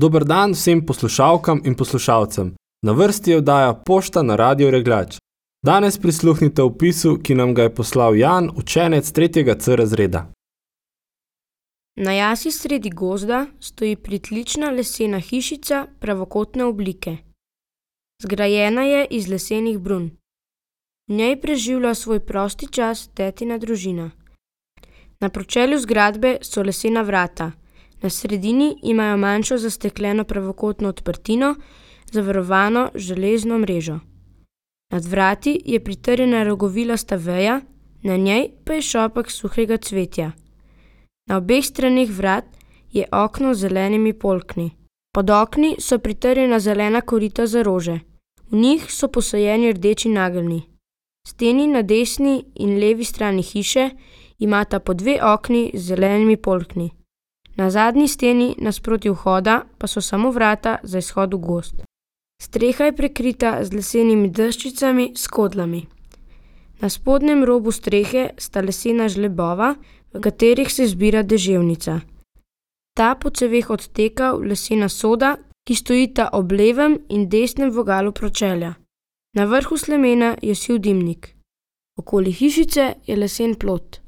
Dober dan vsem poslušalkam in poslušalcem. Na vrsti je oddaja Pošta na Radio Regljač. Danes prisluhnite opisu, ki nam ga je poslal Jan, učenec 3. C razreda. Na jasi sredi gozda stoji pritlična lesena hišica pravokotne oblike. Zgrajena je iz lesenih brun. V njej preživlja svoj prosti čas tetina družina. Na pročelju zgradbe so lesena vrata. Na sredini imajo manjšo zastekljeno pravokotno odprtino, zavarovano železno mrežo. Nad vrati je pritrjena rogovilasta veja, na njej pa je šopek suhega cvetja. Na obeh straneh vrat je okno z zelenimi polkni. Pod okni so pritrjena zelena korita za rože. V njih so posajeni rdeči nageljni. Steni na desni in levi strani hiše imata po 2 okni z zelenimi polkni. Na zadnji steni nasproti vhoda pa so samo vrata za izhod v gozd. Streha je prekrita z lesenimi deščicami s skodlami. Na spodnjem robu strehe sta lesena žlebova, v katerih se zbira deževnica. Ta po ceveh odteka v lesena soda, ki stojita ob levem in desnem vogalu pročelja. Na vrhu slemena je siv dimnik. Okoli hišice je lesen plot.